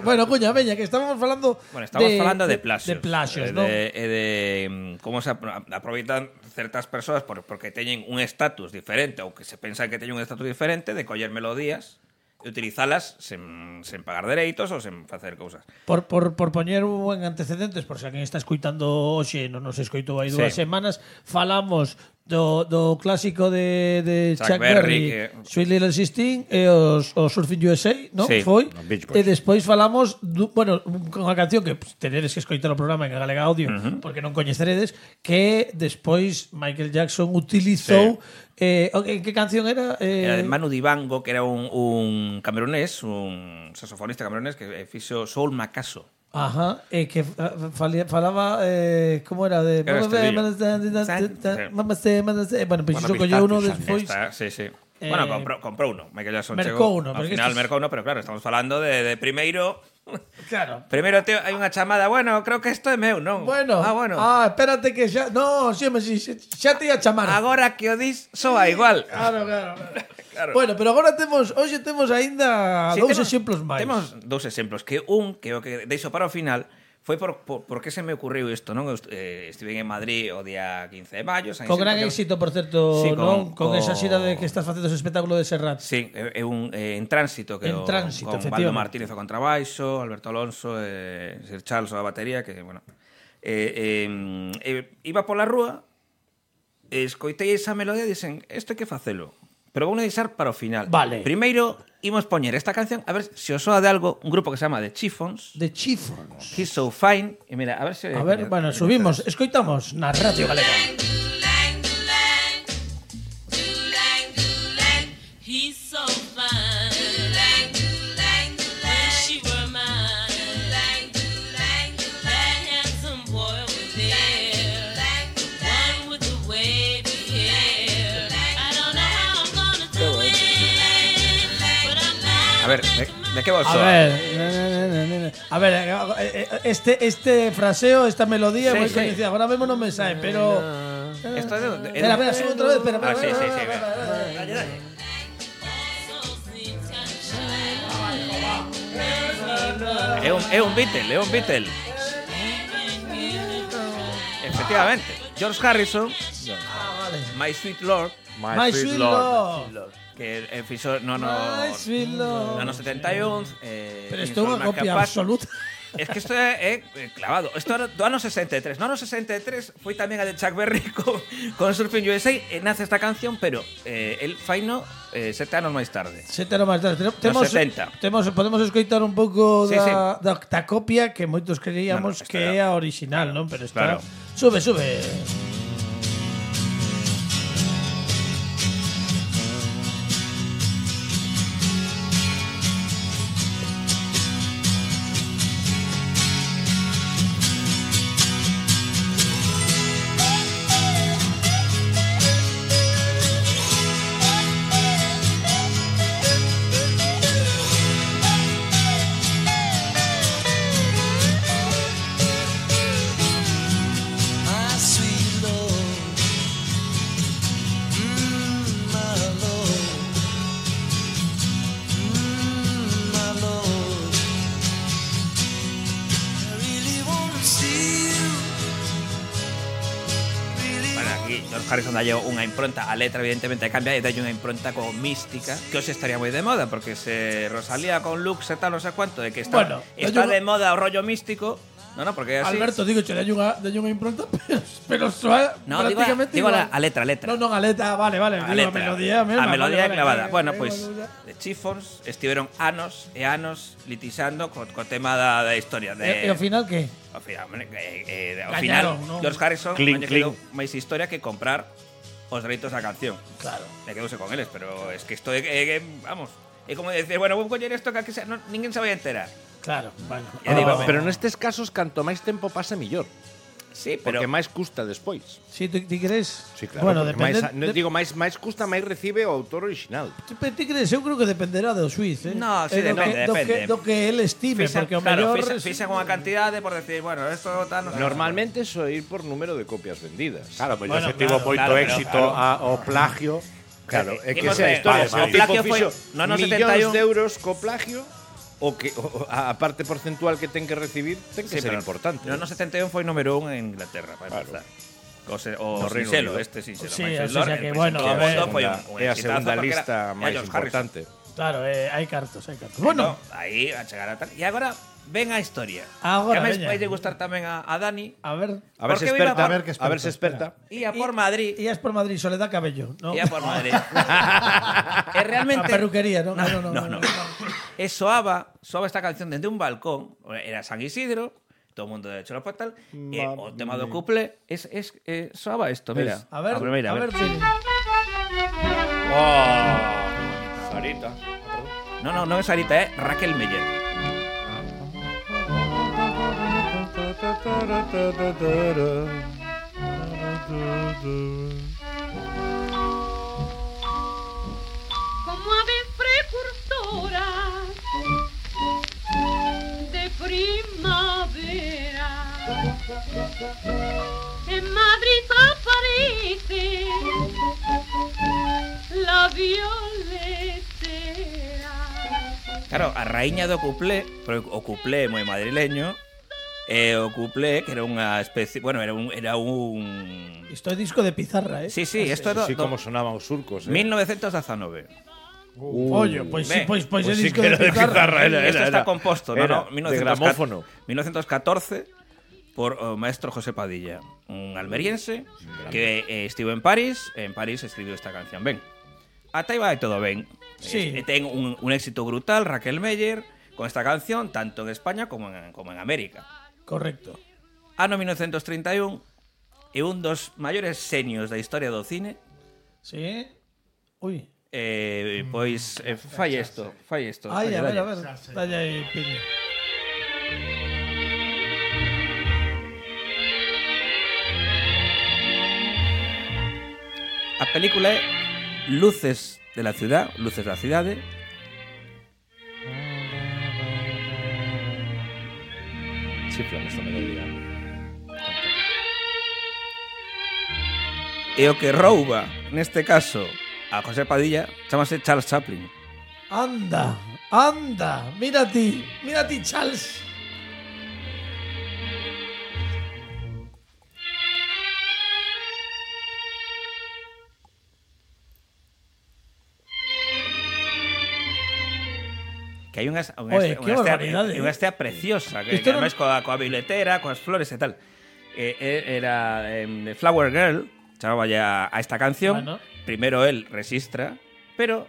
Bueno, Cuña, veña, que estábamos falando
Falando de plaxos.
De plaxos, ¿no?
De como se aproveitan certas persoas porque teñen un estatus diferente ou que se pensan que teñen un estatus diferente de coller melodías e utilizalas sen pagar dereitos ou sen facer cousas.
Por poñer un antecedentes, por se alguén está escoitando hoxe, non nos escoitou hai 2 semanas, falamos do clásico de Chuck Berry, Sweet Little 16 e os Surfing USA, non?
Sí.
Foi.
Beach Boys.
E despois falamos, bueno, con a canción que tenedes que escoitar o programa en Galega Audio, porque non coñeceredes, que despois Michael Jackson utilizou en que canción era?
Era de Manu Dibango, que era un camerunés, un saxofonista camerunés que fixo Soul Macaso.
Ajá, que falaba como era de
Era
bueno, pues iso colleu uno despois.
Sí. Bueno, comprou uno. Michael Jackson
mercou
chegou.
uno,
Al
porque
final
estos-
mercou uno, pero claro, estamos falando de primeiro.
Claro.
Primeiro hai unha chamada, bueno, creo que isto é meu, non?
Bueno.
Bueno.
Espérate que xa no, xa te ia chamar.
Agora que o dis, soa igual.
Claro. Bueno, pero agora hoxe temos aínda
Sí,
dous
temos-
exemplos máis.
Temos dous exemplos, que o que deixo para o final foi por que se me ocurriu isto, non? Estive en Madrid o día 15 de maio,
Con gran éxito, por certo,
Sí,
non? Con esa xira de que estás facendo ese espectáculo de Serrat.
Sí, é un En Tránsito que
En Tránsito,
con
efectivamente.
Baldo Martínez ao contrabaixo, Alberto Alonso e Sir Charles a batería, que bueno. Iba pola rúa, escoitei esa melodía e dixen, isto hai que facelo. Pero vou deixar para o final.
Vale.
Primeiro imos poñer esta canción, a ver se os soa de algo, un grupo que se chama The Chiffons.
De Chiffons.
He's So Fine. E mira, a ver se...
A ver, bueno, subimos, escoitamos na Radio Galega.
He's so fine. Wish she were mine. That handsome boy over there. One with the wavy hair. I don't know how I'm gonna do it, but I'm not.
A ver, de que vos
A ver, este fraseo, esta melodía
Sí,
moi
sí.
coñecida. Ahora mesmo non me sae, pero
Esto é de...
Espera, sube outra vez, espera.
Sí. É un Beatle. Efectivamente. George Harrison, My Sweet Lord,
My Sweet Lord.
que fixo no
My Sweet Lord.
ano 71.
Pero isto é unha copia absoluta.
Es que isto é clavado. Isto era do ano 63. No ano 63 foi tamén a de Chuck Berry con Surfing USA e nace esta canción, pero el faino 7 anos máis tarde.
7 anos máis tarde.
Nos 70.
Podemos escoitar un pouco
Sí,
da copia que moitos creíamos
No,
que é a original, non? Pero está...
Claro.
Sube.
George Harrison dalle unha impronta, a letra evidentemente cambia e dalle unha impronta como mística, que hoxe estaría moi de moda, porque se Rosalía con Lux e tal, non sei cuánto, de que está,
Bueno,
está
yo-
de moda o rollo místico, no, porque é así.
Alberto, digo, che dalle unha impronta, pero soa
No, digo
prácticamente
a
igual.
letra.
Non, a letra, vale,
A
digo, a
letra.
melodía mesma.
A melodía
vale,
clavada.
vale,
Bueno,
vale,
pois
vale.
The Chiffons estiveron anos e anos litixando co tema da historia de
E ao final que?
Ao final,
Gañaron, non?
George Harrison
Clink,
non lle quedou máis historia que comprar os dereitos da canción.
Claro.
Le quedouse con eles, pero es que isto é vamos, é como decir, bueno, vou coller isto que sea, ninguén se vai a enterar.
Claro, bueno.
E digo,
Pero nestes casos, canto máis tempo pase, millor.
Sí, pero
Porque máis custa despois.
Si ti crees?
Sí, claro.
Bueno,
porque máis,
depende.
digo, máis custa, máis recibe o autor original.
Ti crees? Eu creo que dependerá do xuiz, eh?
No, sí, depende, depende.
Do que el estime, porque o
claro,
mellor...
fixan unha cantidade por decir, bueno, esto tal, no sé.
Normalmente so ir por número de copias vendidas.
Claro, mellor
Bueno,
se tivo
claro,
moito
claro,
éxito ao plagio.
Claro, é que
Imos
esa
ver,
historia,
vale,
se o
vale.
tipo
plagio foi
fixo
no ano
millóns
71.
de euros co plagio, o que a parte porcentual que ten que recibir ten que
Sí,
ser
pero
importante.
No 71 foi número 1 en Inglaterra, para empezar. O
No Reino
Sincero,
Unido.
Sincero.
Sí,
Michael
o sea
Lord,
que,
el
bueno,
príncipe
a
do
ver,
mundo foi un
é a
exitazo
segunda
porque
lista
era
máis
George Harrison.
importante.
Claro, hai cartos, hai cartos. Bueno,
Aí a chegar a tal. E agora ven a historia.
Agora,
que a
veña.
vai gustar tamén a Dani.
a ver...
A ver
¿Por
se
qué viva?
experta,
A ver qué
a ver se experta.
Ia por Madrid.
Ias por Madrid, Soledad Cabello, ¿no?
Ia por Madrid. E realmente
A perruquería, ¿no? No.
E soaba esta canción dende un balcón, era San Isidro, todo o mundo de hecho por tal, e o tema do couple soaba isto, mira.
A ver,
primeira,
a ver, Pili.
Sarita.
No é Sarita, é Raquel Meyer.
Como aves precursoras de primavera, en Madrid aparece la violetera.
Claro, a raíña do couple, pero o couple é moi madrileño, e o couple que era unha especie, bueno, era un
Isto é disco de pizarra, eh?
Sí, isto era
Sí, como sonaban os surcos,
1919.
Oye, pois sí,
Ben,
pois é
sí
disco
que
de
era de
pizarra.
pizarra,
Esto está composto,
era
no,
de gramófono.
1914 por o maestro José Padilla, un almeriense que estivo en París escribiu esta canción. Ben, ata aí vai todo ben.
Sí.
Ten un éxito brutal Raquel Meyer con esta canción tanto en España como en América.
Correcto.
Ano 1931 e un dos maiores senios da historia do cine.
Sí. Uy.
Pois fai isto.
Ai, a
Dalle.
ver. Dalle aí, Pili.
A película é Luces de la ciudad, Luces da cidade.
Chiflan esta melodía.
E o que rouba, neste caso, a José Padilla, chamase Charles Chaplin.
Anda. Mira ti, Charles.
Que hai
Oye, qué barbaridade,
unha estea preciosa, que
Isto non-
ademais coa biletera, coas flores e tal. Era The Flower Girl, chamaba ya a esta canción.
Bueno.
Primero él resistra, pero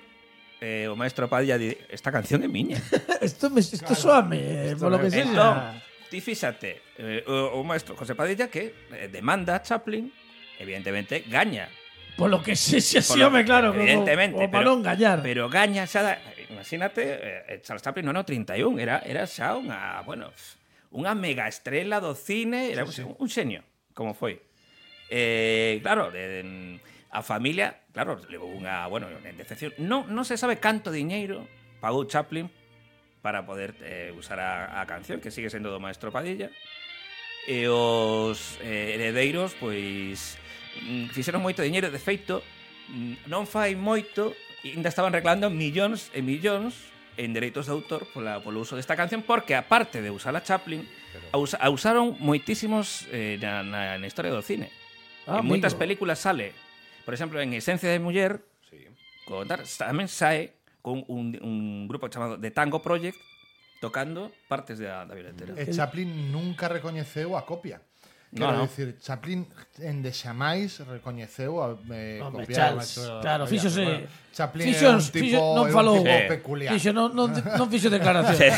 o maestro Padilla di, esta canción é miña.
Esto soame, por lo que
Entón,
sea.
ti fíxate, o maestro José Padilla que demanda a Chaplin, evidentemente gaña.
Por lo que sea, sí,
Polo-
home, claro,
evidentemente,
como para non gañar.
Pero gaña xa, imagínate, Charles Chaplin no ano 31, era xa unha mega estrela do cine, era un xenio, como foi. Claro, a familia, claro, levou unha, en decepción. Non se sabe canto diñeiro pagou Chaplin para poder usar a canción, que sigue sendo do maestro Padilla. E os heredeiros, pois, fixeron moito diñeiro. De feito, non fai moito, ainda estaban reclamando millóns e millóns en dereitos de autor polo uso desta canción, porque aparte de usar a Chaplin, a usaron moitísimos na historia do cine. En moitas películas sale, por exemplo, en Esencia de Muller, tamén sae con un grupo chamado The Tango Project tocando partes da biletera.
Chaplin nunca recoñeceu a copia. Quero dicir, Chaplin en Deixamais recoñeceu a copiar.
Claro, fíxose.
Chaplin era un tipo,
non falou
peculiar.
Fixo, non fixo declaración.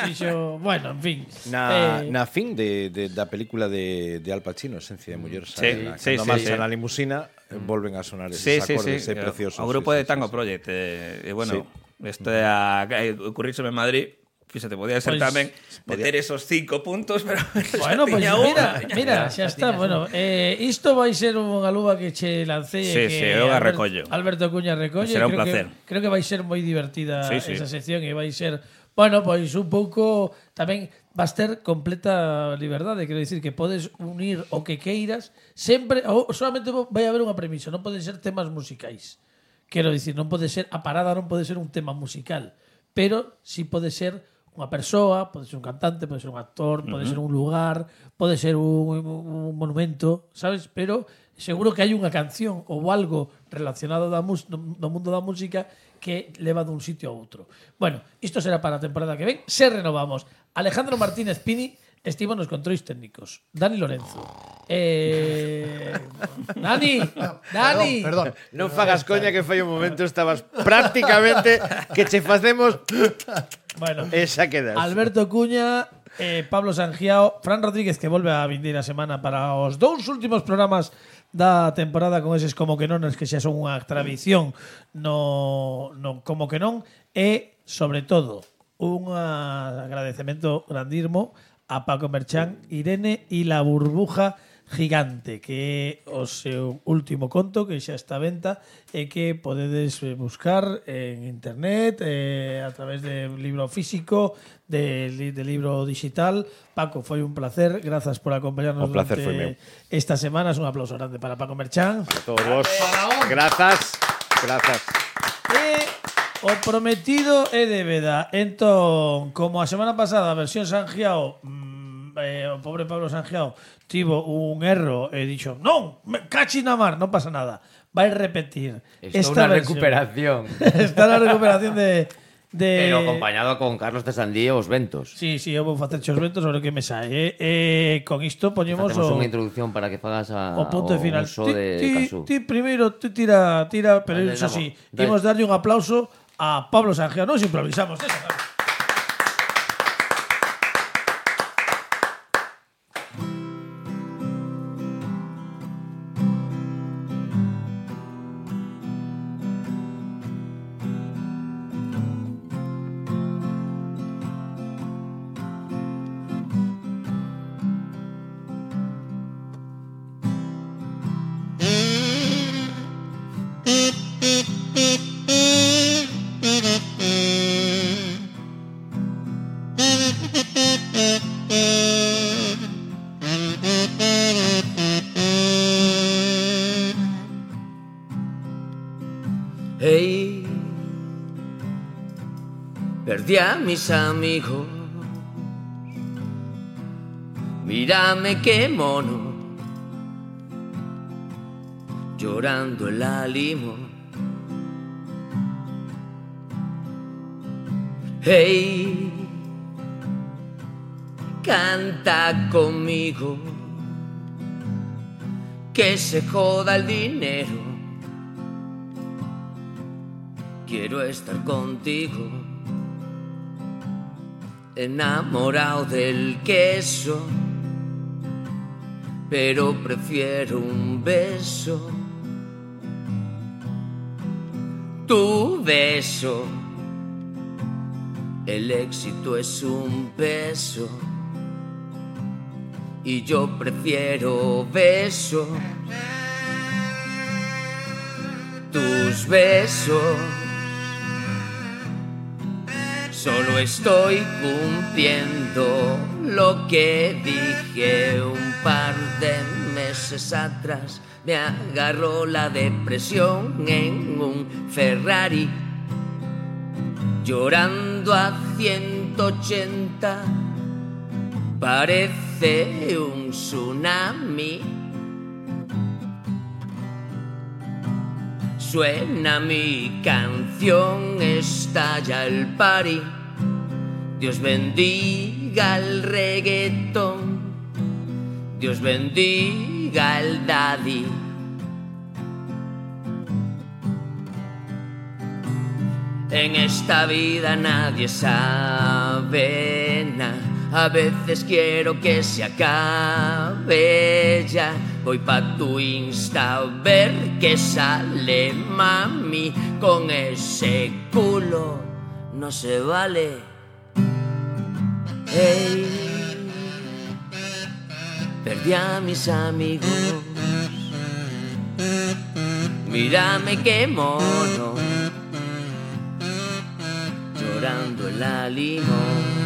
Fixo, bueno, en fin.
Na fin da película de Al Pacino, Esencia de Muller, cando marcha na limusina, volven a sonar esos acordes preciosos.
O grupo de Tango Project, bueno, isto é ocurríseme en Madrid, Fíxate, podía ser
Pois,
tamén meter esos 5 puntos, pero
Bueno,
xa
pois
tiña
mira, xa está. Bueno, isto vai ser unha luva que che lancei.
Sí,
que
eu a recollo.
Alberto Cuña recolle.
Será un
Creo
placer.
Creo que vai ser moi divertida
Sí, sí.
esa sección e vai ser, bueno, pois un pouco tamén vas ter completa liberdade, quero dicir que podes unir o que queiras, sempre ou solamente vai haber unha premisa, non poden ser temas musicais. Quero dicir, non pode ser a parada, non pode ser un tema musical, pero si pode ser unha persoa, pode ser un cantante, pode ser un actor, pode ser un lugar, pode ser un monumento, sabes? Pero seguro que hai unha canción ou algo relacionado do mundo da música que leva dun sitio a outro. Bueno, isto será para a temporada que ven. Se renovamos. Alejandro Martínez Pini estivo nos controis técnicos. Dani Lorenzo. Dani.
Perdón.
Non fagas coña que fai un momento estabas prácticamente que che facemos
Bueno,
esa quedas.
Alberto Cuña, Pablo Sangiao, Fran Rodríguez, que volve a vindeira semana para os dous últimos programas da temporada con eses como que non, que xa son unha tradición no como que non, e sobre todo un agradecemento grandísimo a Paco Merchán, Irene e la burbuja gigante, que é o seu último conto que xa está a venta e que podedes buscar en internet, a través de libro físico, de libro digital. Paco, foi un placer, grazas por acompañarnos
O placer foi meu.
esta semana. Un aplauso grande para Paco Merchán.
A todos vos. Grazas.
E o prometido é débeda. Entón, como a semana pasada a versión Sangiao, o pobre Pablo Sangiao tivo un erro e dixo, non, me cachi na mar, non pasa nada, vai repetir
Esta
versión.
recuperación.
Está na recuperación de
Pero acompañado con Carlos de Sandía os ventos.
Sí, eu vou facer os ventos sobre o que me sae. Con isto poñemos
Facemos unha introducción para que fagas
o punto de final.
uso de Casú.
Ti primeiro, tira, pero
Vale,
iso
damos.
sí, imos darlle un aplauso a Pablo Sangiao. Nos improvisamos, eso.
Hey, perdí a mis amigos. Mírame qué mono, llorando el ánimo. Hey, canta conmigo, que se joda el dinero. Quiero estar contigo, enamorado del queso, pero prefiero un beso. Tu beso, el éxito es un peso, y yo prefiero besos. Tus besos. Solo estoy cumpliendo lo que dije un par de meses atrás. Me agarró la depresión en un Ferrari, llorando a 180. Parece un tsunami. Suena mi canción, estalla el party. Dios bendiga el reggaetón, Dios bendiga el daddy. En esta vida nadie sabe nada. A veces quiero que se acabe ya. Voy pa' tu Insta a ver qué sale, mami. Con ese culo no se vale. Hey, perdí a mis amigos. Mírame qué mono, llorando en la limón.